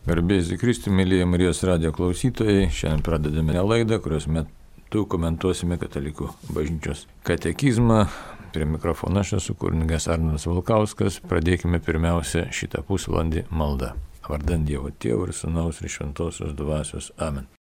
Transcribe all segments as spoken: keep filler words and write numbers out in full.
Garbės į Kristų, mėlyje Marijos radijo klausytojai, šiandien pradedame laidą, kurios metu komentuosime Katalikų bažnyčios katekizmą. Prie mikrofono aš esu kunigas Arnas Valkauskas. Pradėkime pirmiausia šitą pusvalandį maldą. Vardant Dievo Tėvo ir Sūnaus ir Šventosios Dvasios. Amen.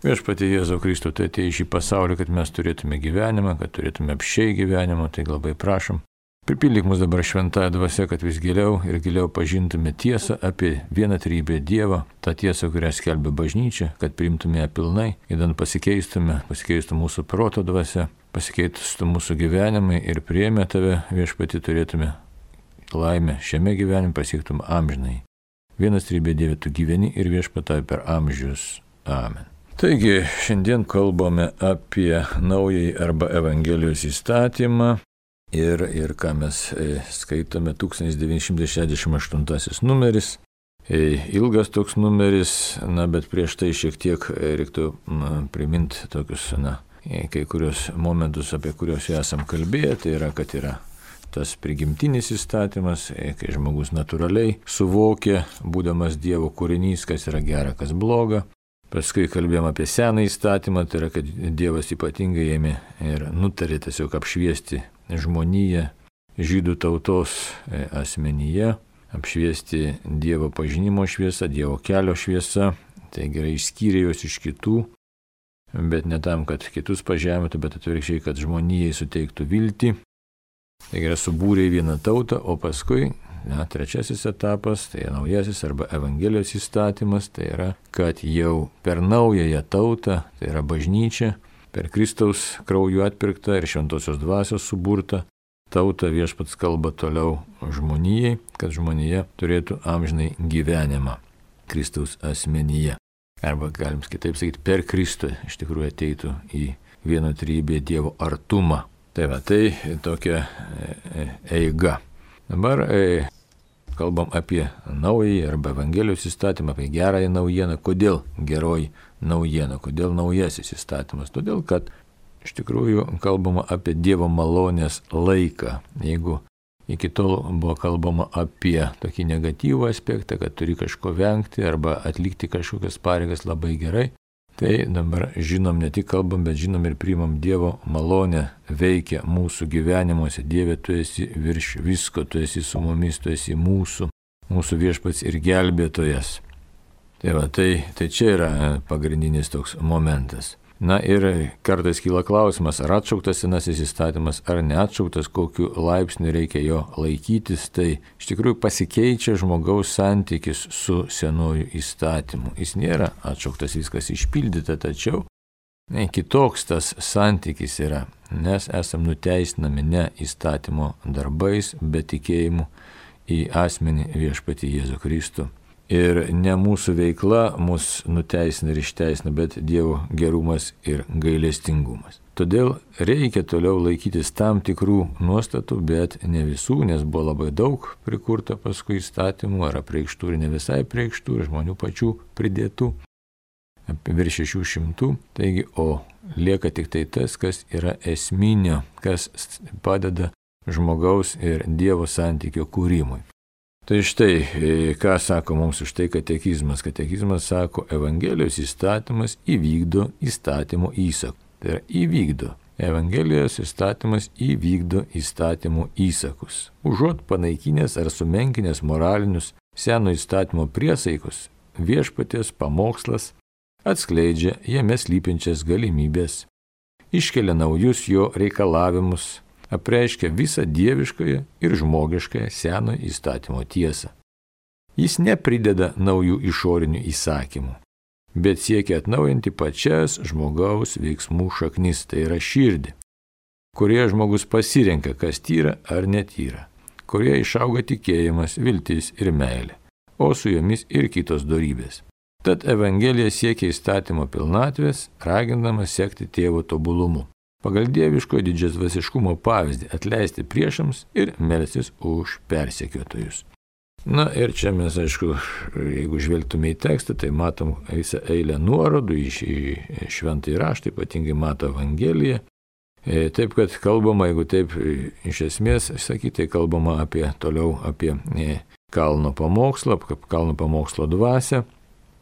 Viešpatie Jėzau Kristų, tu atėjai į šį pasaulį, kad mes turėtume gyvenimą, kad turėtume apsčiai gyvenimą, tai labai prašom. Pripildyk mus dabar šventąją dvasią, kad vis giliau ir giliau pažintume tiesą apie vienatrybę Dievą, tą tiesą, kurią skelbia bažnyčia, kad priimtume ją pilnai, įdant pasikeistume, pasikeistų mūsų proto dvasia, pasikeistų mūsų gyvenimai ir priėmę tave, viešpatį, turėtume laimę šiame gyvenime, pasiektum amžinai. Vienatrybė Dieve, tu gyveni ir viešpatai per amžius. Amen. Taigi, šiandien kalbame apie naująjį arba Evangelijos įstatymą. Ir, ir ką mes e, skaitome, tūkstantis devyni šimtai šešiasdešimt aštuntasis numeris, e, ilgas toks numeris, na, bet prieš tai šiek tiek e, reiktų m, priminti tokius, na, e, kai kurios momentus, apie kuriuos jau esam kalbėję, tai yra, kad yra tas prigimtinis įstatymas, e, kai žmogus natūraliai suvokia, būdamas Dievo kūrinys, kas yra gera, kas bloga. Paskui kalbėjom apie seną įstatymą, tai yra, kad Dievas ypatingai ėmė ir nutarė tiesiog apšviesti žmoniją žydų tautos asmenyje, apšviesti Dievo pažinimo šviesą, Dievo kelio šviesą, tai gerai išskyrė juos iš kitų, bet ne tam, kad kitus pažemintų, bet atvirkščiai, kad žmonijai suteiktų viltį. Tai gerai subūrė vieną tautą, o paskui na, trečiasis etapas, tai naujasis arba Evangelijos įstatymas, tai yra, kad jau per naująją tautą, tai yra bažnyčia, per Kristaus krauju atpirktą ir Šventosios Dvasios suburtą tautą viešpats kalba toliau žmonijai, kad žmonija turėtų amžinai gyvenimą Kristaus asmenyje. Arba galim kitaip sakyti, per Kristų iš tikrųjų ateitų į vienatrybę Dievo artumą. Tai va, tai tokia eiga. Dabar e, kalbam apie naująjį arba Evangelijos įstatymą, apie gerąją naujieną. Kodėl geroji naujiena? Kodėl naujasis įstatymas? Todėl, kad iš tikrųjų kalbama apie Dievo malonės laiką. Jeigu iki tol buvo kalbama apie tokį negatyvų aspektą, kad turi kažko vengti arba atlikti kažkokias pareigas labai gerai, tai dabar žinom, ne tik kalbam, bet žinom ir priimam Dievo malonę veikia mūsų gyvenimuose. Dieve, tu esi virš visko, tu esi su mumis, tu esi mūsų, mūsų viešpats ir gelbėtojas. Tai va, tai, tai čia yra pagrindinis toks momentas. Na ir kartais kyla klausimas, ar atšauktas senasis įstatymas, ar neatšauktas, kokiu laipsniu reikia jo laikytis. Tai iš tikrųjų pasikeičia žmogaus santykis su senuoju įstatymu. Jis nėra atšauktas, viskas išpildyta, tačiau ne, kitoks tas santykis yra, nes esam nuteisinami ne įstatymo darbais, bet tikėjimu į asmenį viešpatį Jėzų Kristų. Ir ne mūsų veikla mus nuteisina ir išteisina, bet Dievo gerumas ir gailestingumas. Todėl reikia toliau laikytis tam tikrų nuostatų, bet ne visų, nes buvo labai daug prikurta paskui įstatymų, ar apreikštų ir ne visai apreikštų, ir žmonių pačių pridėtų, apie virš šešių šimtų. Taigi, o lieka tik tai tas, kas yra esminio, kas padeda žmogaus ir Dievo santykio kūrimui. Tai štai, ką sako mums už tai katekizmas. Katekizmas sako, Evangelijos įstatymas įvykdo įstatymo įsakų. Tai yra įvykdo. Evangelijos įstatymas įvykdo įstatymo įsakus. Užuot panaikinęs ar sumenkinęs moralinius seno įstatymo priesaikus, viešpaties pamokslas atskleidžia jame slypinčias galimybės, iškelia naujus jo reikalavimus, apreiškia visą dieviškąją ir žmogiškąją seno įstatymo tiesą. Jis neprideda naujų išorinių įsakymų, bet siekia atnaujinti pačias žmogaus veiksmų šaknis, tai yra širdį, kurie žmogus pasirenka, kas tyra ar netyra, kurie išauga tikėjimas, viltis ir meilė, o su jomis ir kitos dorybės. Tad Evangelija siekia įstatymo pilnatvės, ragindama sekti tėvo tobulumu. Pagal dieviško didžiasdvasiškumo pavyzdį atleisti priešams ir melstis už persekiotojus. Na ir čia mes, aišku, jeigu žvelgtume į tekstą, tai matom visą eilę nuorodų į šventąjį raštą, ypatingai Mato Evangeliją. Taip, kad kalbama, jeigu taip iš esmės sakyti, tai kalbama apie toliau apie kalno pamokslą, kalno pamokslo dvasią.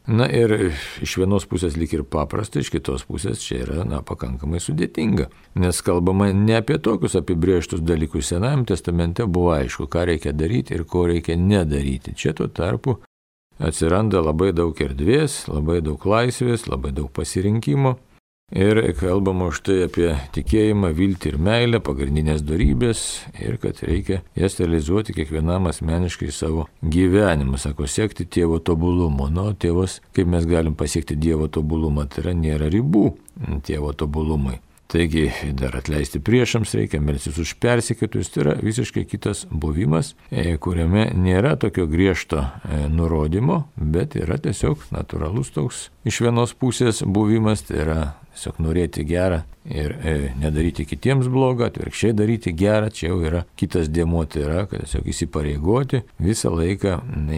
Na ir iš vienos pusės lyg ir paprasta, iš kitos pusės čia yra na, pakankamai sudėtinga. Nes kalbama ne apie tokius apibrėžtus dalykus. Senajame testamente buvo aišku, ką reikia daryti ir ko reikia nedaryti. Čia tuo tarpu atsiranda labai daug erdvės, labai daug laisvės, labai daug pasirinkimo. Ir kalbama už tai apie tikėjimą, viltį ir meilę, pagrindinės dorybės ir kad reikia jas realizuoti kiekvienam asmeniškai savo gyvenimą. Sako, siekti tėvo tobulumo. Nu, tėvas, kaip mes galim pasiekti Dievo tobulumą, tai yra nėra ribų tėvo tobulumui. Taigi dar atleisti priešams reikia, melstis už persekiotojus, tai yra visiškai kitas buvimas, kuriame nėra tokio griežto nurodymo, bet yra tiesiog natūralus toks iš vienos pusės buvimas, tai yra tiesiog norėti gerą ir e, nedaryti kitiems blogą, atvirkščiai daryti gerą, čia jau yra kitas dėmuo, tai yra, kad tiesiog įsipareigoti visą laiką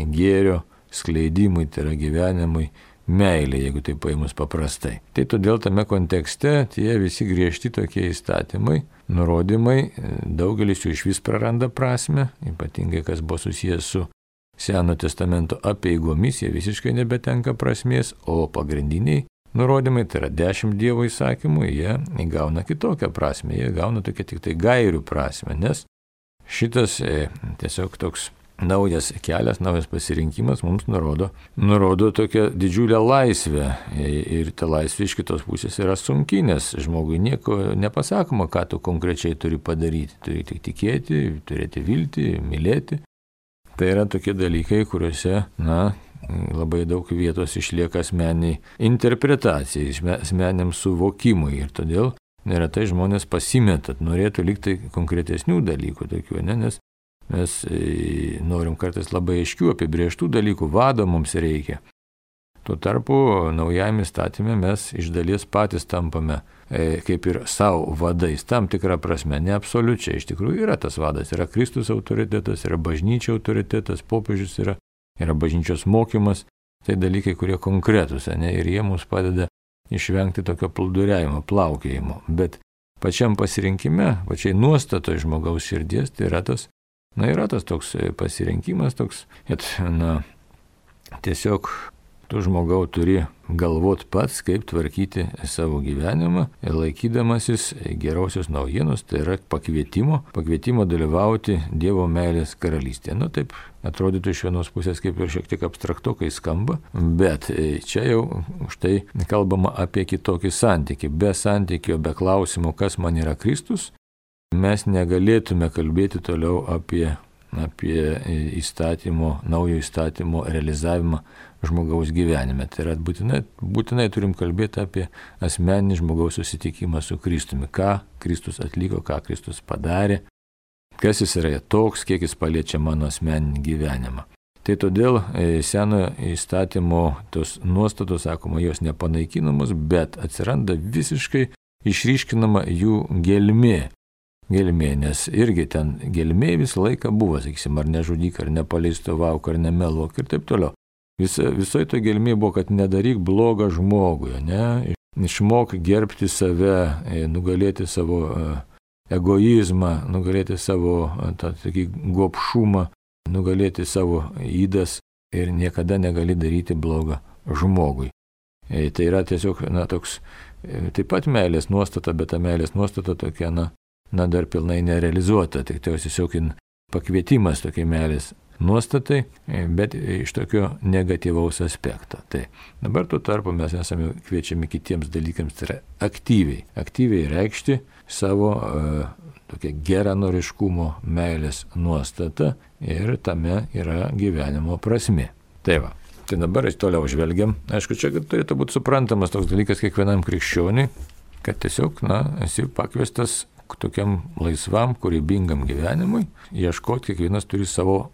gėrio skleidimui, tai yra gyvenimui, meilė, jeigu tai paimus paprastai. Tai todėl tame kontekste tie visi griežti tokie įstatymai, nurodymai, daugelis jų iš vis praranda prasme, ypatingai kas buvo susijęs su Seno testamento apeigomis, jie visiškai nebetenka prasmės, o pagrindiniai nurodymai, tai yra dešimt Dievo įsakymų, jie įgauna kitokią prasmę, jie gauna tokia tik tai gairių prasmę, nes šitas e, tiesiog toks naujas kelias, naujas pasirinkimas mums nurodo, nurodo tokią didžiulę laisvę ir ta laisvė iš kitos pusės yra sunki, nes žmogui nieko nepasakoma, ką tu konkrečiai turi padaryti. Turi tik tikėti, turėti viltį, mylėti. Tai yra tokie dalykai, kuriuose, na, labai daug vietos išlieka asmeniai interpretacijai, asmeniam suvokimui ir todėl neretai žmonės pasimetat, norėtų likti konkretesnių dalykų tokių, ne, nes mes norim kartais labai aiškių apibrėžtų dalykų, vado mums reikia. Tuo tarpu naujajame įstatyme mes iš dalies patys tampame e, kaip ir savo vadais, tam tikrą prasme, ne absoliučiai. Iš tikrųjų yra tas vadas, yra Kristus autoritetas, yra bažnyčia autoritetas, popiežius yra, yra bažnyčios mokymas, tai dalykai, kurie konkretūs, ne, ir jie mums padeda išvengti tokio plūduriavimo, plaukėjimo. Bet pačiam pasirinkime, pačiai nuostatoje žmogaus širdies, tai yra tas Na, yra tas toks pasirinkimas, toks, kad, na, tiesiog tu žmogau turi galvot pats, kaip tvarkyti savo gyvenimą ir laikydamasis gerosios naujienos, tai yra pakvietimo, pakvietimo dalyvauti Dievo meilės karalystėje. Nu, taip atrodytų iš vienos pusės kaip ir šiek tiek abstraktokai skamba, bet čia jau štai kalbama apie kitokį santykį. Be santykio, be klausimo, kas man yra Kristus, mes negalėtume kalbėti toliau apie, apie įstatymo, naujo įstatymo realizavimą žmogaus gyvenime. Tai yra būtinai, būtinai turim kalbėti apie asmeninį žmogaus susitikimą su Kristumi. Ką Kristus atliko, ką Kristus padarė, kas jis yra toks, kiek jis paliečia mano asmeninį gyvenimą. Tai todėl senojo įstatymo tos nuostatos, sakoma, jos nepanaikinamos, bet atsiranda visiškai išryškinama jų gelmė. Gelmė, nes irgi ten gelmė visą laiką buvo, sakysim, ar nežudyk, ar nepaleistovavuk, ar nemeluok ir taip toliau. Vis, visoje to gelmė buvo, kad nedaryk blogą žmogui, ne? Išmok gerbti save, nugalėti savo egoizmą, nugalėti savo tą, tokį gobšumą, nugalėti savo įdas ir niekada negali daryti blogą žmogui. Tai yra tiesiog, na, toks, taip pat meilės nuostata, bet ta meilės nuostata tokia, na, na dar pilnai nerealizuota, tik tai tiesiog pakvietimas tokiai meilės nuostatai, bet iš tokio negatyvaus aspekto. Tai dabar tuo tarpu mes esame kviečiami kitiems dalykams, tai yra aktyviai, aktyviai reikšti savo uh, tokią geranoriškumo meilės nuostatą ir tame yra gyvenimo prasmė. Tai va, tai dabar toliau žvelgiam. Aišku, čia turėtų būti suprantamas toks dalykas kiekvienam krikščioniui, kad tiesiog, na, esi pakviestas tokiam laisvam, kūrybingam gyvenimui, ieškoti kiekvienas turi savo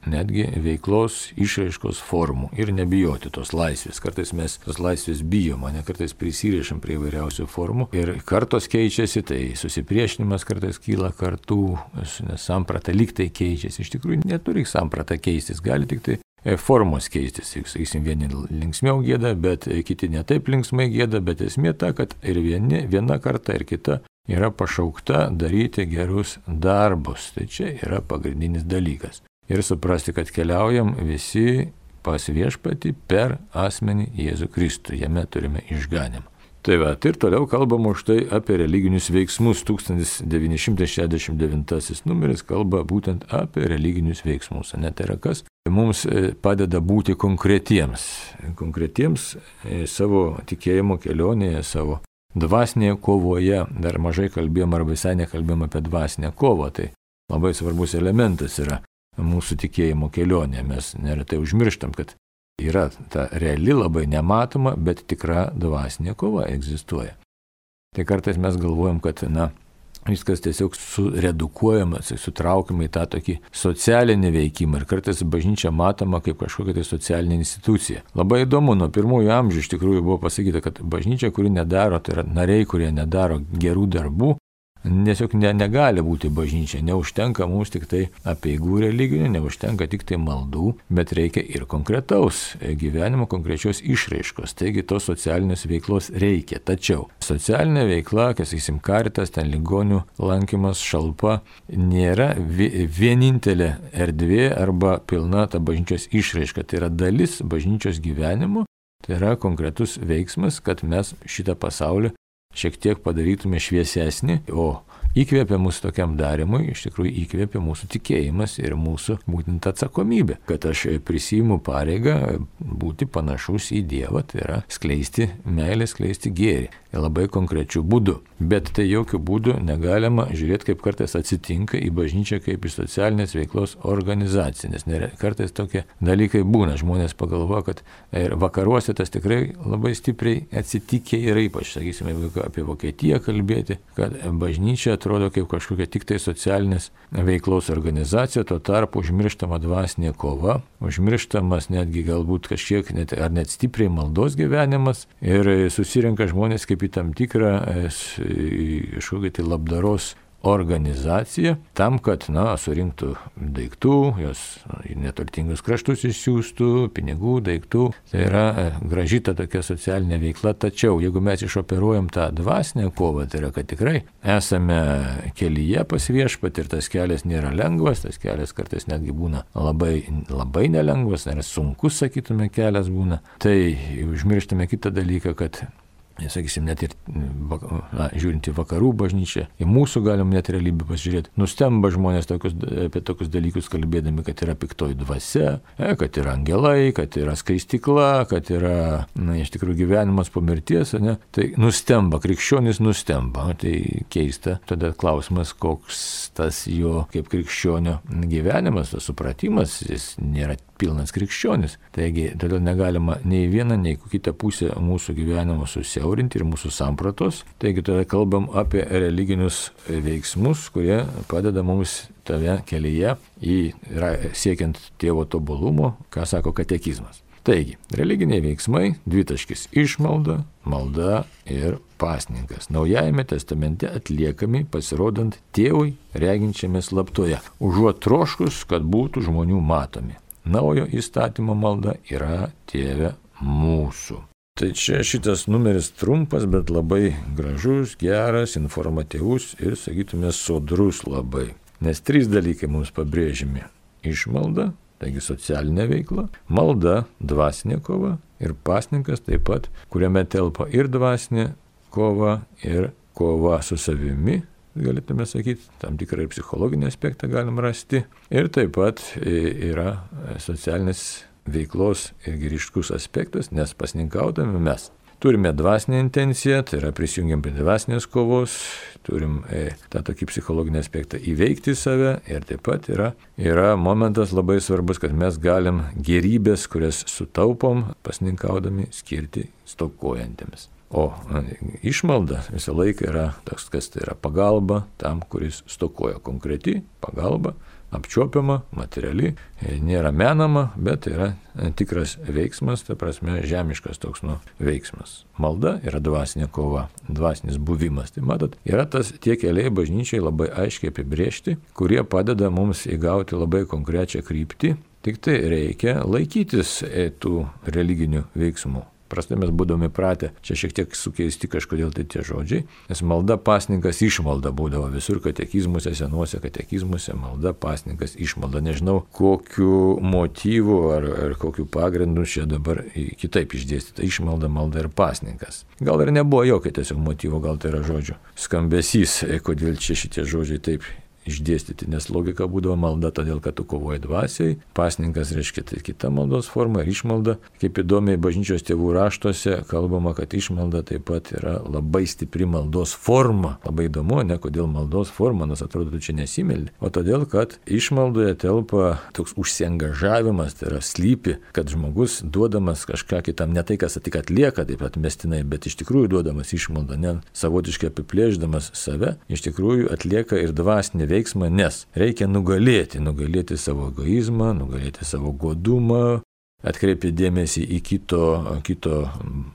netgi veiklos išraiškos formų ir nebijoti tos laisvės. Kartais mes tos laisvės bijom, ne kartais prisirišam prie įvairiausių formų ir kartos keičiasi, tai susipriešinimas kartais kyla kartų, nes samprata lyg tai keičiasi. Iš tikrųjų neturi samprata keistis, gali tik tai formos keistis. Sakysim, vieni linksmiau gėda, bet kiti netaip linksmai gėda, bet esmė ta, kad ir vieni, viena karta ir kita yra pašaukta daryti gerus darbus. Tai čia yra pagrindinis dalykas. Ir suprasti, kad keliaujam visi pas viešpatį per asmenį Jėzų Kristų. Jame turime išganymą. Tai va, ir toliau kalbam už tai apie religinius veiksmus. tūkstantis devyni šimtai šešiasdešimt devintasis numeris kalba būtent apie religinius veiksmus. Ne, tai yra kas? Mums padeda būti konkretiems. Konkretiems savo tikėjimo kelionėje, savo dvasinėje kovoje. Dar mažai kalbėjom arba visai nekalbėjom apie dvasinę kovą. Tai labai svarbus elementas yra mūsų tikėjimo kelionė. Mes neretai užmirštam, kad yra ta reali, labai nematoma, bet tikra dvasinė kova egzistuoja. Tai kartais mes galvojam, kad, na, viskas tiesiog suredukuojama, sutraukiama į tą tokį socialinį veikimą ir kartais bažnyčia matoma kaip kažkokia tai socialinė institucija. Labai įdomu, nuo pirmųjų amžių iš tikrųjų buvo pasakyta, kad bažnyčia, kuri nedaro, tai yra nariai, kurie nedaro gerų darbų, tiesiog ne, negali būti bažnyčia, neužtenka mums tik tai apeigų religinių, neužtenka tik tai maldų, bet reikia ir konkretaus gyvenimo, konkrečios išraiškos. Taigi tos socialinės veiklos reikia. Tačiau socialinė veikla, kas sakysim, karitas, ten ligonių lankymas, šalpa, nėra vienintelė erdvė arba pilna ta bažnyčios išraiška. Tai yra dalis bažnyčios gyvenimo, tai yra konkretus veiksmas, kad mes šitą pasaulį šiek tiek padarytume šviesesnį, o įkvėpia mūsų tokiam darimui, iš tikrųjų įkvėpia mūsų tikėjimas ir mūsų būtent atsakomybė, kad aš prisiimu pareigą būti panašus į Dievą, tai yra skleisti meilę, skleisti gėrį, labai konkrečių būdų. Bet tai jokių būdų negalima žiūrėti, kaip kartais atsitinka į bažnyčią kaip į socialinės veiklos organizaciją, nes kartais tokie dalykai būna. Žmonės pagalvoja, kad ir vakaruose tas tikrai labai stipriai atsitikė ir ypač, sakysime, apie Vokietiją kalbėti, kad bažnyčia atrodo kaip kažkokia tik tai socialinės veiklos organizacija, tuo tarpu užmirštama dvasinė kova, užmirštamas netgi galbūt kažkiek net, ar net stipriai maldos gyvenimas ir susirenka žmonės kaip į tam tikrą kažkokią tai labdaros organizacija tam, kad, na, surinktų daiktų, jos į neturtingus kraštus išsiųstų, pinigų, daiktų. Tai yra graži ta tokia socialinė veikla. Tačiau, jeigu mes išoperuojam tą dvasinę kovą, tai yra, kad tikrai esame kelyje pas viešpatį ir tas kelias nėra lengvas, tas kelias kartais netgi būna labai, labai nelengvas, ar sunkus, sakytume, kelias būna. Tai užmirštame kitą dalyką, kad sakysim, net ir na, žiūrint į vakarų bažnyčią, į mūsų galim net realybę pasižiūrėti. Nustemba žmonės tokius, apie tokius dalykus kalbėdami, kad yra piktoji dvasia, kad yra angelai, kad yra skaistykla, kad yra, na, iš tikrųjų gyvenimas po mirties, ne? Tai nustemba, krikščionis nustemba. Tai keista. Tada klausimas, koks tas jo kaip krikščionio gyvenimas, tas supratimas, jis nėra pilnas krikščionis. Taigi, todėl negalima nei vieną, nei kitą pusę mūsų gyvenimo susiaurinti ir mūsų sampratos. Taigi, tada kalbam apie religinius veiksmus, kurie padeda mums tave kelyje į siekiant tėvo tobulumo, ką sako katekizmas. Taigi, religiniai veiksmai, dvitaškis išmalda, malda ir pasninkas. Naujajame testamente atliekami pasirodant tėvui reginčiame slaptoje, užuot troškus, kad būtų žmonių matomi. Naujo įstatymo malda yra Tėve mūsų. Tai čia šitas numeris trumpas, bet labai gražus, geras, informatyvus ir, sakytume, sodrus labai. Nes trys dalykai mums pabrėžimi. Išmalda, taigi socialinė veikla, malda, dvasinė kova ir pasninkas taip pat, kuriame telpa ir dvasinė kova, ir kova su savimi, galėtume sakyti, tam tikrą ir psichologinį aspektą galim rasti. Ir taip pat yra socialinės veiklos ir ryškus aspektas, nes pasninkaudami mes turime dvasinę intenciją, tai yra prisijungiam prie dvasinės kovos, turim e, tą tokį psichologinį aspektą įveikti save ir taip pat yra, yra momentas labai svarbus, kad mes galim gerybės, kurias sutaupom pasninkaudami, skirti stokojantiems. O išmalda visą laiką yra toks, kas tai yra pagalba tam, kuris stokoja, konkreti pagalba, apčiuopiama, materiali, nėra menama, bet tai yra tikras veiksmas, ta prasme žemiškas toks nu, veiksmas. Malda yra dvasinė kova, dvasinis buvimas. Tai matot, yra tas tie keliai bažnyčiai labai aiškiai apibrėžti, kurie padeda mums įgauti labai konkrečią kryptį, tik tai reikia laikytis tų religinių veiksmų. prastai mes būdami pratę, čia šiek tiek sukeisti kažkodėl tai tie žodžiai, nes malda pasninkas išmalda būdavo visur katekizmuose, senuose katekizmuose, malda pasninkas išmalda. Nežinau, kokiu motyvu ar, ar kokiu pagrindu čia dabar kitaip išdėstyta išmalda, malda ir pasninkas. Gal ir nebuvo jokio tiesiog motyvo, gal tai yra žodžių skambesys, kodėl čia šitie žodžiai taip išdėstyti, nes logika būdavo malda, todėl kad tu kovoji dvasiai, pasninkas reiškia tai kita maldos forma ir išmalda. Kaip įdomiai bažnyčios tėvų raštuose kalbama, kad išmalda taip pat yra labai stipri maldos forma. Labai įdomu, ne kodėl maldos forma, nes atrodo, tu čia nesimeldi, o todėl, kad išmaldoje telpa toks užsiangažavimas, tai yra slypi, kad žmogus duodamas kažką kitam, ne tai, kas tik atlieka taip atmestinai, bet iš tikrųjų duodamas išmaldą, ne savotiškai apiplėždamas save, iš tikrųjų atlieka ir dvasinį veiksmą. Veiksmą, nes reikia nugalėti, nugalėti savo egoizmą, nugalėti savo godumą, atkreipti dėmesį į kito, kito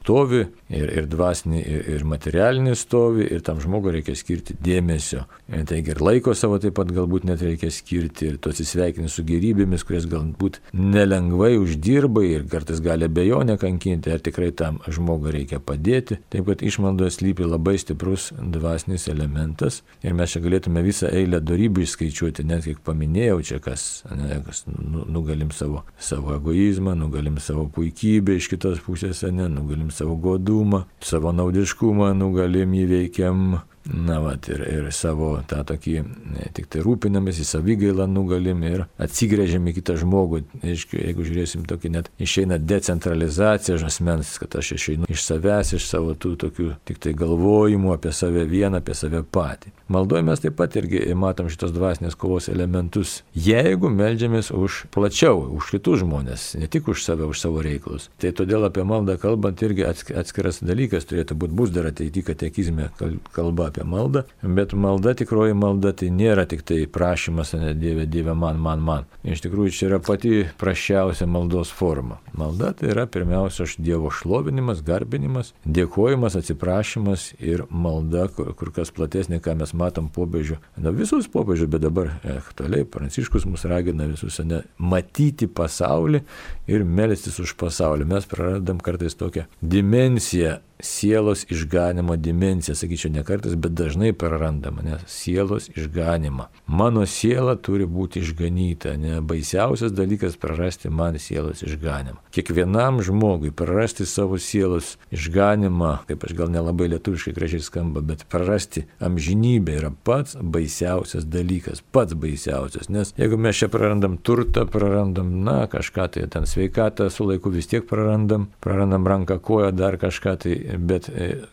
stovį ir, ir dvasinį, ir, ir materialinį stovį, ir tam žmogui reikia skirti dėmesio. Taigi ir laiko savo taip pat galbūt net reikia skirti, ir tu atsisveikini su gerybėmis, kurias galbūt nelengvai uždirbai ir kartais gali abejonę kankinti, ar tikrai tam žmogui reikia padėti. Taip kad išmaldoje slypi labai stiprus dvasinis elementas, ir mes čia galėtume visą eilę dorybių išskaičiuoti, net kiek paminėjau čia, kas, ne, kas nugalim savo, savo egoizmą, nugalim savo puikybę iš kitos pusės, ne, nugalim savo godumą, savo naudiškumą, nugalim įveikiam, na, vat, ir, ir savo tą tokį, ne, tik tai rūpinamės, į savigailą nugalim ir atsigrėžiam į kitą žmogų. Aišku, jeigu žiūrėsim tokį, net išeina decentralizacija asmens, kad aš išeinu iš savęs, iš savo tų tokių tik tai galvojimų apie save vieną, apie save patį. Maldoje mes taip pat irgi matom šitos dvasinės kovos elementus, jeigu meldžiamės už plačiau, už kitus žmonės, ne tik už save, už savo reikalus. Tai todėl apie maldą kalbant irgi atskiras dalykas turėtų būti, bus dar ateity katekizme kalba apie maldą, bet malda, tikroji malda, tai nėra tik tai prašymas, ne, Dieve, Dieve, man, man, man. Iš tikrųjų, čia yra pati praščiausia maldos forma. Malda tai yra pirmiausia Dievo šlovinimas, garbinimas, dėkojimas, atsiprašymas ir malda, kur, kur kas platesnė, ką mes matom popiežių. Na, visus popiežių, bet dabar aktualiai Pranciškus mus ragina visus, ne, matyti pasaulį ir melstis už pasaulį. Mes praradam kartais tokią dimensiją, sielos išganimo dimensiją, sakyčiau, ne kartais, bet dažnai prarandama, nes sielos išganimą. Mano siela turi būti išganyta, ne baisiausias dalykas prarasti man sielos išganimą. Kiekvienam žmogui prarasti savo sielos išganimą, kaip aš gal nelabai lietuviškai gražiai skamba, bet prarasti amžinybę yra pats baisiausias dalykas, pats baisiausias, nes jeigu mes čia prarandam turtą, prarandam, na, kažką tai, ten sveikatą su laiku vis tiek prarandam, prarandam ranką, koją, dar kažką tai, bet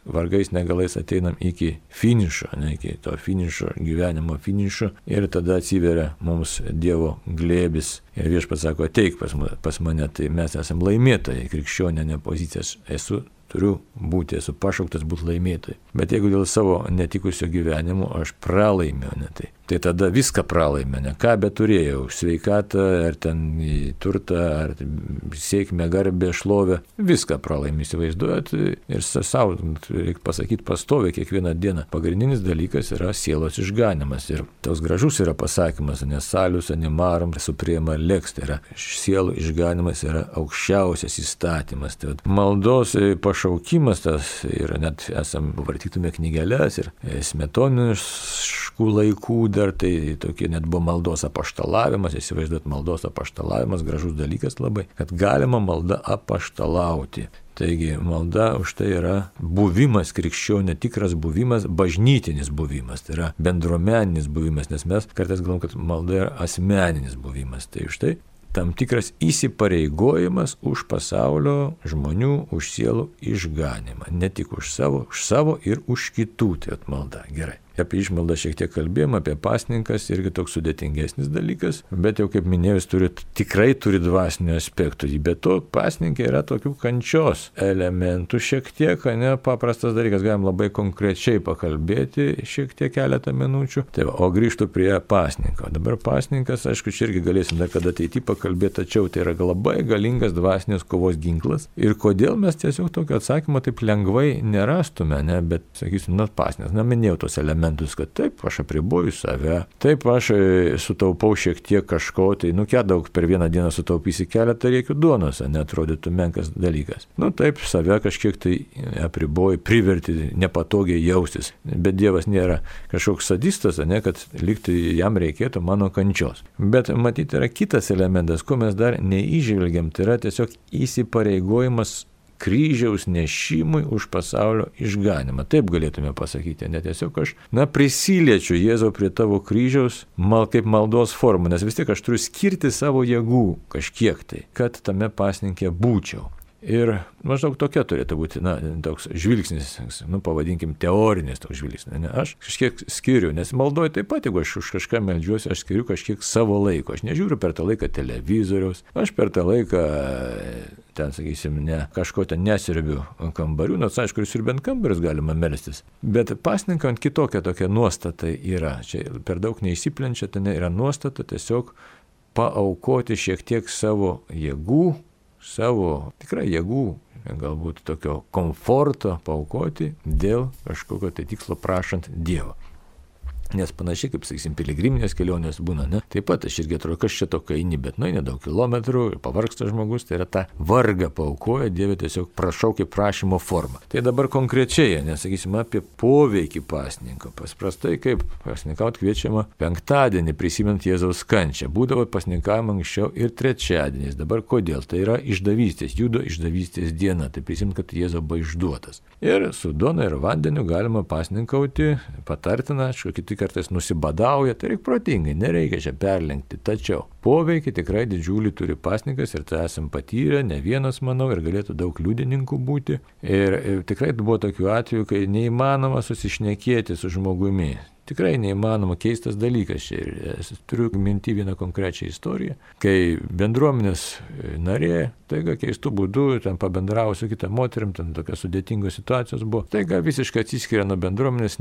vargais negalais ateinam iki finišo, ne, iki to finišo, gyvenimo finišo, ir tada atsiveria mums Dievo glėbis ir Viešpats sako, ateik pas, pas mane, tai mes esam laimėtojai, krikščionė pozicijas esu. Turiu būti, esu pašauktas būti laimėtojai. Bet jeigu dėl savo netikusio gyvenimo aš pralaimiu, ne, tai, tai tada viską pralaimiu, ne, ką beturėjau, sveikatą, ar ten turtą, ar sėkmę, garbę, šlovę, viską pralaimiu, įsivaizduojat, ir savo, reikia pasakyti, pastoviai kiekvieną dieną. Pagrindinis dalykas yra sielos išganimas. Ir toks gražus yra pasakymas, nes salius animarum suprema lex, tai yra sielų išganimas yra aukščiausias įstatymas. Tai maldos pašaukimas tas yra, net esam vartytume knygeles ir smetoniškų laikų dar, tai tokie net buvo maldos apaštalavimas, įsivaizduot maldos apaštalavimas, gražus dalykas labai, kad galima malda apaštalauti. Taigi malda už tai yra buvimas krikščionio, tikras buvimas, bažnytinis buvimas, tai yra bendruomeninis buvimas, nes mes kartais galvom, kad malda yra asmeninis buvimas. Tai už tai tam tikras įsipareigojimas už pasaulio žmonių, už sielų išganimą. Ne tik už savo, už savo ir už kitų, tai malda. Gerai. Apie išmaldą šiek tiek kalbėjom, apie pasninkas irgi toks sudėtingesnis dalykas, bet jau kaip minėjau, turi, tikrai turi dvasinių aspektų. Bet to pasninkai yra tokių kančios elementų šiek tiek, ne paprastas dalykas, galim labai konkrečiai pakalbėti šiek tiek keletą minučių. Tai va, o grįžtu prie pasninko. Dabar pasninkas, aišku, čia irgi galėsim dar kada ateity pakalbėti, tačiau tai yra labai galingas dvasinės kovos ginklas. Ir kodėl mes tiesiog tokio atsakymo taip lengvai nerastume, ne, bet sakysim, na pasninkas, na minėjau tos elementus. elementus, kad taip, aš apriboju save, taip, aš sutaupau šiek tiek kažko, tai nu ką daug per vieną dieną sutaupysi keletą riekių duonos, neatrodytų menkas dalykas. Nu taip, save kažkiek tai apriboju, priverti nepatogiai jaustis, bet Dievas nėra kažkoks sadistas, ne, kad liktai jam reikėtų mano kančios. Bet matyti yra kitas elementas, ko mes dar neįžvelgiam, tai yra tiesiog įsipareigojimas kryžiaus nešimui už pasaulio išganimą. Taip galėtume pasakyti, ne tiesiog aš, na, prisiliečiu Jėzau prie tavo kryžiaus mal, kaip maldos formą, nes vis tiek aš turiu skirti savo jėgų kažkiek tai, kad tame pasninke būčiau. Ir maždaug tokia turėtų būti, na, toks žvilgsnis, nu, pavadinkim, teorinis toks žvilgsnis. Ne? Aš kažkiek skiriu, nes maldoju taip pat, jeigu aš už kažką meldžiuosi, aš skiriu kažkiek savo laiko. Aš nežiūriu per tą laiką televizoriaus, aš per tą laiką, ten, sakysim, ne, kažko ten nesirbiu kambarių, nors aišku, ir sirbiant kambarius galima melstis. Bet pasninkant kitokia tokia nuostata yra. Čia per daug neįsiplenčia, ten yra nuostata tiesiog paaukoti šiek tiek savo jėgų, savo tikrai jėgų, galbūt tokio komforto paaukoti dėl kažkokio tai tikslo prašant Dievo. Nes panašiai, kaip, sakysim, piligriminės kelionės būna, ne? Taip pat aš irgi atrodo, kas čia tokia eini, bet nueini daug kilometrų ir pavargsta žmogus, tai yra tą vargą paaukoja, Dieve tiesiog prašaukia prašymo formą. Tai dabar konkrečiai, nesakysim, apie poveikį pasninko. Pasprastai, kaip pasninkaut kviečiama penktadienį, prisimint Jėzaus kančią. Būdavo pasninkavimo anksčiau ir trečiadieniais. Dabar kodėl? Tai yra išdavystės, judo išdavystės diena. Tai prisimint, kad Jėzaus buvo išduotas. Ir su duona ir vandeniu galima pasninkauti, patartina, aišku, kiti kartais nusibadauja, tai reikia protingai, nereikia čia perlenkti. Tačiau poveikį tikrai didžiulį turi pasninkas ir tai esam patyrę, ne vienas, manau, ir galėtų daug liudininkų būti. Ir, ir tikrai buvo tokių atvejų, kai neįmanoma susišnekėti su žmogumi. Tikrai neįmanoma, keistas dalykas čia. Ir turiu minti vieną konkrečią istoriją, kai bendruomenės narė, taiga keistų būdų, ten pabendravo su kita moterim, ten tokios sudėtingos situacijos buvo, taiga visiškai atsiskiria nuo bendruomenės,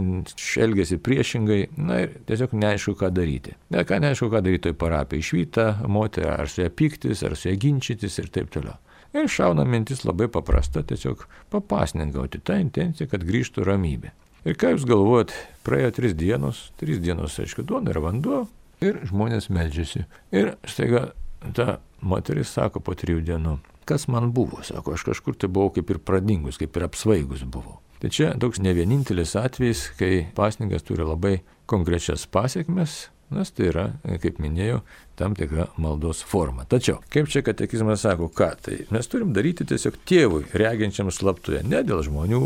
elgiasi priešingai, na ir tiesiog neaišku, ką daryti. Ne, ką neaišku, ką daryti toj parapijai, išvyta moterį, ar su ją pyktis, ar su ją ginčytis ir taip toliau. Ir šauna mintis labai paprasta, tiesiog papasninkauti tą intenciją, kad grįžtų ramybė. Ir ką jūs galvojat, praėjo tris dienos, tris dienos, aišku, duona ir vanduo, ir žmonės meldžiasi. Ir staiga ta moteris sako po trijų dienų, kas man buvo, sako, aš kažkur tai buvau kaip ir pradingus, kaip ir apsvaigus buvau. Tai čia toks ne vienintelis atvejis, kai pasninkas turi labai konkrečias pasiekmes, nes tai yra, kaip minėjau, tam tikra maldos forma. Tačiau, kaip čia katekizmas sako, ką, tai mes turim daryti tiesiog tėvui, reginčiam slaptuje, ne dėl žmonių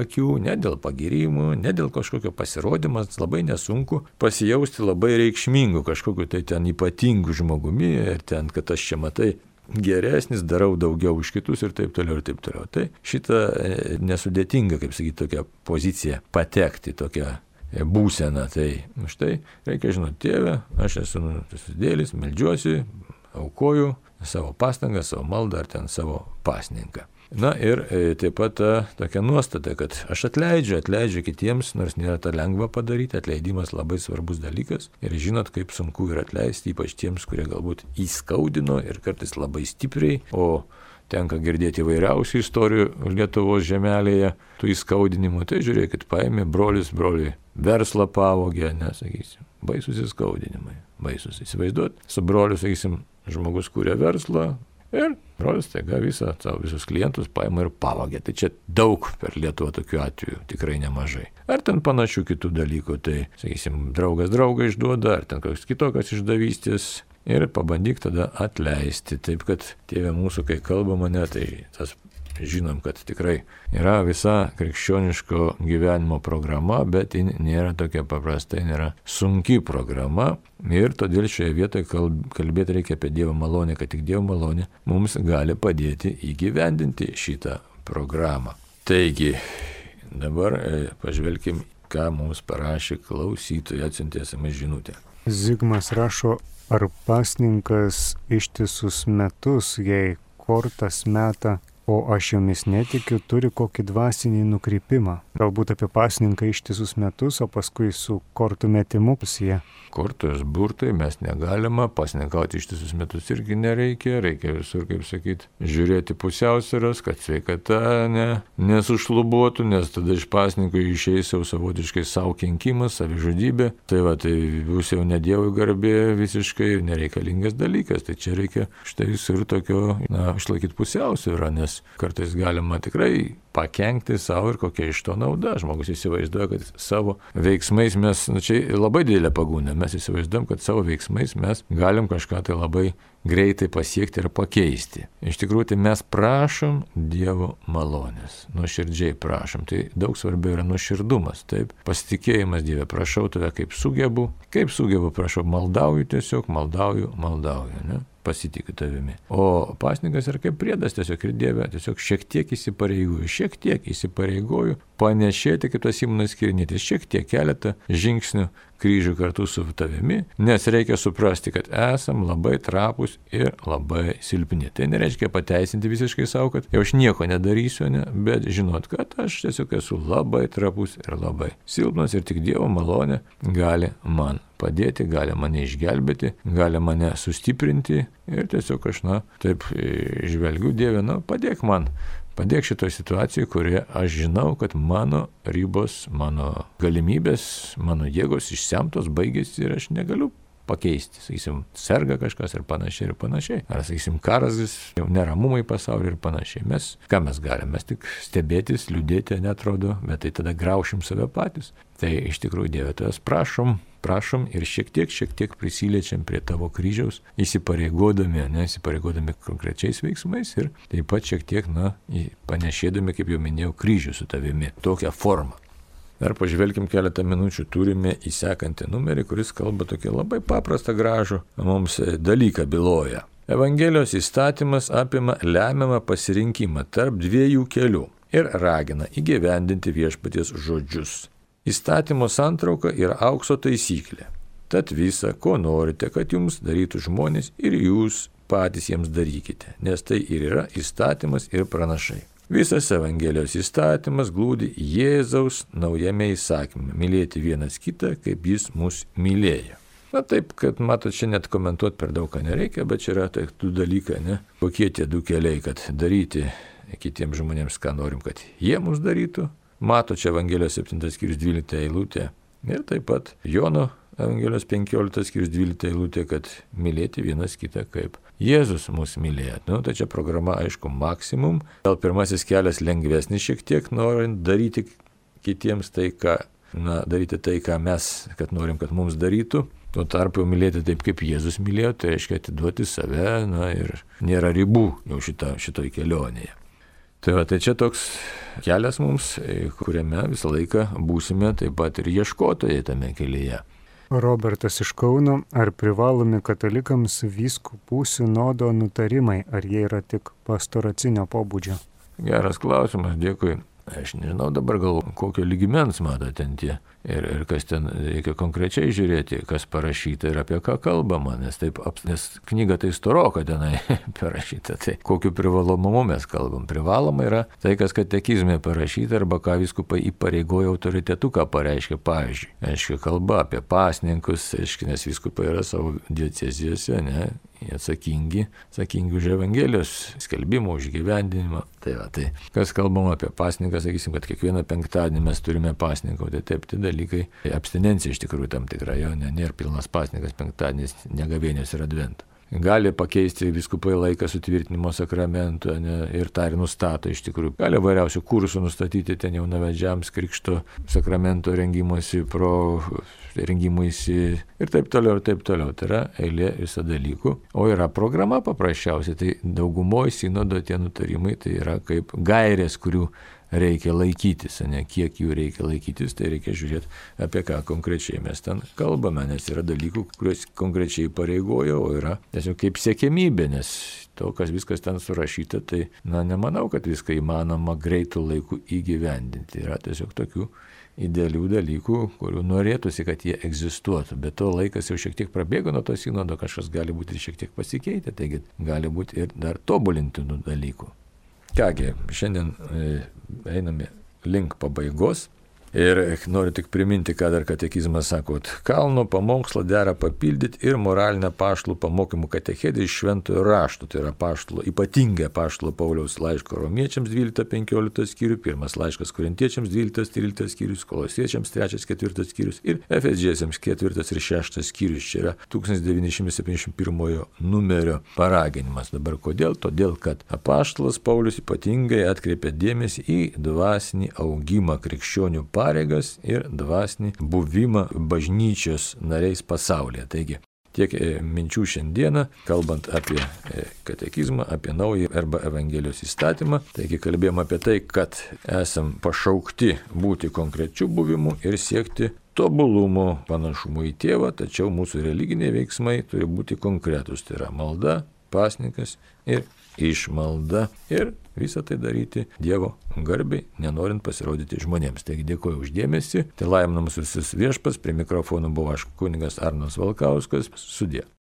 akių, ne dėl pagirimų, ne dėl kažkokio pasirodymo, labai nesunku pasijausti labai reikšmingu kažkokiu tai ten ypatingu žmogumi ir ten, kad aš čia matai, geresnis, darau daugiau už kitus ir taip toliau ir taip toliau. Tai šitą nesudėtinga, kaip sakyti, tokią poziciją patekti, tokią būseną. Tai štai reikia žinoti, tėve, aš esu nusidėlis, meldžiuosi, aukoju savo pastangą, savo maldą ar ten savo pasninką. Na ir e, taip pat ta tokia nuostata, kad aš atleidžiu, atleidžiu kitiems, nors nėra tą lengva padaryti, atleidimas labai svarbus dalykas ir žinot, kaip sunku yra atleisti, ypač tiems, kurie galbūt įskaudino ir kartais labai stipriai, o tenka girdėti įvairiausių istorijų Lietuvos žemelėje, tų įskaudinimų. Tai žiūrėkit, paėmė brolis, broliui verslą pavogė, nesakysim, baisus įskaudinimai, baisus. Įsivaizduot, su broliu, sakysim, žmogus kūrė verslą ir brolis taiga visą, savo visus klientus paėmė ir pavogė. Tai čia daug per Lietuvą tokių atvejų, tikrai nemažai. Ar ten panašių kitų dalykų, tai, sakysim, draugas draugą išduoda, ar ten koks kitokios išdavystės. Ir pabandyk tada atleisti. Taip, kad tėve mūsų, kai kalbama, ne, tai tas žinom, kad tikrai yra visa krikščioniško gyvenimo programa, bet ji nėra tokia paprasta, nėra sunki programa. Ir todėl šioje vietoje kalbėti reikia apie Dievo malonę, kad tik Dievo malonė mums gali padėti įgyvendinti šitą programą. Taigi, dabar pažvelkim, ką mums parašė klausytojai, atsiuntėsime žinutę. Zigmas rašo, ar pasninkas ištisus metus, jei kortas meta o aš jomis netikiu, turi kokį dvasinį nukrypimą. Galbūt apie pasninką ištisus metus, o paskui su kortų metimu pusie. Kortos burtai mes negalima, pasninkauti ištisus metus irgi nereikia, reikia visur, kaip sakyti, žiūrėti pusiausvyros, kad sveikata ne, nesušlubuotų, nes tada iš pasninko išeis jau savotiškai savo kenkimas, savižudybė. Tai va, tai bus jau ne Dievui garbė visiškai nereikalingas dalykas. Tai čia reikia štai visur tokio, na, išlaikyti pusiausvyrą, nes kartais galima tikrai pakenkti savo ir kokia iš to nauda. Žmogus įsivaizduoja, kad savo veiksmais mes, na čia labai didelė pagunda, mes įsivaizduojam, kad savo veiksmais mes galim kažką tai labai greitai pasiekti ir pakeisti. Iš tikrųjų, tai mes prašom Dievo malonės, nuoširdžiai prašom. Tai daug svarbiau yra nuoširdumas, taip, pasitikėjimas Dieve, prašau tave kaip sugebu, kaip sugebu, prašau, maldauju tiesiog, maldauju, maldauju, ne? Pasitikiu tavimi. O pasninkas yra kaip priedas tiesiog ir Dieve, tiesiog šiek tiek įsipareigoju, šiek tiek įsipareigoju panešėti kaip tas Simonas Kirnietis, šiek tiek keletą žingsnių kryžių kartu su tavimi, nes reikia suprasti, kad esam labai trapus ir labai silpni. Tai nereiškia pateisinti visiškai savo, kad jau aš nieko nedarysiu, ne, bet žinot, kad aš tiesiog esu labai trapus ir labai silpnas ir tik Dievo malonė gali man padėti, gali mane išgelbėti, gali mane sustiprinti ir tiesiog aš, na, taip žvelgiu, Dieve, na, padėk man. Padėk šitoje situacijoje, kurioje aš žinau, kad mano ribos, mano galimybės, mano jėgos išsemtos, baigėsi ir aš negaliu pakeisti. Sakysim, serga kažkas ir panašiai ir panašiai. Ar, sakysim, karas, jau neramumai pasaulyje ir panašiai. Mes, ką mes galime? Mes tik stebėtis, liūdėti, netrodo, bet tai tada graušim save patys. Tai iš tikrųjų, Dieve, tavęs prašom, prašom ir šiek tiek, šiek tiek prisiliečiam prie tavo kryžiaus, įsipareigodami, ne, įsipareigodami konkrečiais veiksmais ir taip pat šiek tiek, na, panešėdami, kaip jau minėjau, kryžių su tavimi, tokią formą. Dar pažvelkim keletą minučių, turime įsekantį numerį, kuris kalba tokį labai paprastą gražų mums dalyką byloja. Evangelijos įstatymas apima lemiamą pasirinkimą tarp dviejų kelių ir ragina įgyvendinti viešpaties žodžius. Įstatymo santrauka yra aukso taisyklė. Tad visa, ko norite, kad jums darytų žmonės ir jūs patys jiems darykite, nes tai ir yra įstatymas ir pranašai. Visas Evangelijos įstatymas glūdi Jėzaus naujame įsakyme – mylėti vienas kitą, kaip jis mus mylėjo. Na taip, kad matot, čia net komentuoti per daug ką nereikia, bet čia yra tai du dalykai, ne? Kokie tie du keliai, kad daryti kitiems žmonėms, ką norim, kad jie mums darytų. Mato čia Evangelijos septintas skyrius dvylikta eilutė ir taip pat Jono Evangelijos penkioliktas skyrius dvylikta eilutė, kad mylėti vienas kitą kaip Jėzus mus mylėjo. Nu, tai čia programa, aišku, maksimum. Gal pirmasis kelias lengvesnis šiek tiek, norint daryti kitiems tai, ką, na, daryti tai, ką mes, kad norim, kad mums darytų. Tuo tarpu mylėti taip, kaip Jėzus mylėjo, tai reiškia atiduoti save, na, ir nėra ribų jau šita, šitoj kelionėje. Tai va, tai čia toks kelias mums, kuriame visą laiką būsime taip pat ir ieškotojai tame kelyje. Robertas iš Kauno, ar privalomi katalikams vyskupų sinodo nutarimai, ar jie yra tik pastoracinio pobūdžio? Geras klausimas, dėkui. Aš nežinau dabar gal kokio lygmens mato ten tie ir, ir kas ten reikia konkrečiai žiūrėti, kas parašyta ir apie ką kalbama, nes, taip, nes knyga tai storoka tenai parašyta, tai kokiu privalomumu mes kalbam. Privaloma yra tai, kas katekizme parašyta arba ką vyskupai įpareigoja autoritetu, ką pareiškia, pavyzdžiui. Aiškiai kalba apie pasninkus, aiškiai, nes vyskupai yra savo diecezijose, ne, atsakingi, atsakingi už Evangelijos skelbimą, už gyvendinimą. Tai va, tai kas kalbama apie pasninką, sakysim, kad kiekvieną penktadienį mes turime pasninkauti, taip, tai dalykai, abstinencija iš tikrųjų tam tikra, jo, ne, nėra pilnas pasninkas penktadienis, ne gavėnios ir advento. Gali pakeisti vyskupai laiką sutvirtinimo sakramento, ne, ir tą ir nustato iš tikrųjų. Gali vairiausių kursų nustatyti ten jaunavedžiams, krikšto sakramento rengimuisi, pro rengimuisi ir taip toliau, ir taip toliau. Tai yra eilė visą dalykų. O yra programa paprasčiausiai, tai daugumoje sinodo tie nutarimai tai yra kaip gairės, kurių reikia laikytis, ne, kiek jų reikia laikytis, tai reikia žiūrėti, apie ką konkrečiai mes ten kalbame, nes yra dalykų, kuriuos konkrečiai pareigoja, o yra tiesiog kaip siekiamybė, nes to, kas viskas ten surašyta, tai, na, nemanau, kad viską įmanoma greitų laikų įgyvendinti. Yra tiesiog tokių idealių dalykų, kurių norėtųsi, kad jie egzistuotų, bet to laikas jau šiek tiek prabėgo nuo to sinodo, kažkas gali būti ir šiek tiek pasikeitę, taigi gali būti ir dar tobulintinų dalykų. Kągi, šiandien einame link pabaigos. Ir noriu tik priminti, ką dar katekizmas sako, kalno pamokslą dera papildyti ir moralinę apaštalų pamokymų katechetę iš šventojo rašto. Tai yra apaštalo, ypatingai apaštalo Pauliaus laiško romiečiams dvyliktas penkioliktas skyrius, pirmas laiškas korintiečiams dvyliktas tryliktas skyrius, kolosiečiams trečias ketvirtas skyrius ir efeziečiams ketvirtas ir šeštas skyrius. Čia yra tūkstantis devyni šimtai septyniasdešimt pirmojo numerio paraginimas. Dabar kodėl? Todėl, kad apaštalas Paulius ypatingai atkreipia dėmesį į dvasinį augimą krikščionių pareigas ir dvasinį buvimą bažnyčios nariais pasaulyje. Taigi, tiek minčių šiandieną, kalbant apie katekizmą, apie naują arba Evangelijos įstatymą. Taigi, kalbėjom apie tai, kad esam pašaukti būti konkrečių buvimų ir siekti tobulumo panašumo į tėvą, tačiau mūsų religiniai veiksmai turi būti konkretus. Tai yra malda, pasninkas ir išmalda ir visą tai daryti Dievo garbiai, nenorint pasirodyti žmonėms. Taigi dėkoju uždėmesį, tai laimina mūsų visus viešpats, prie mikrofono buvo aš kunigas Arnas Valkauskas, sudie.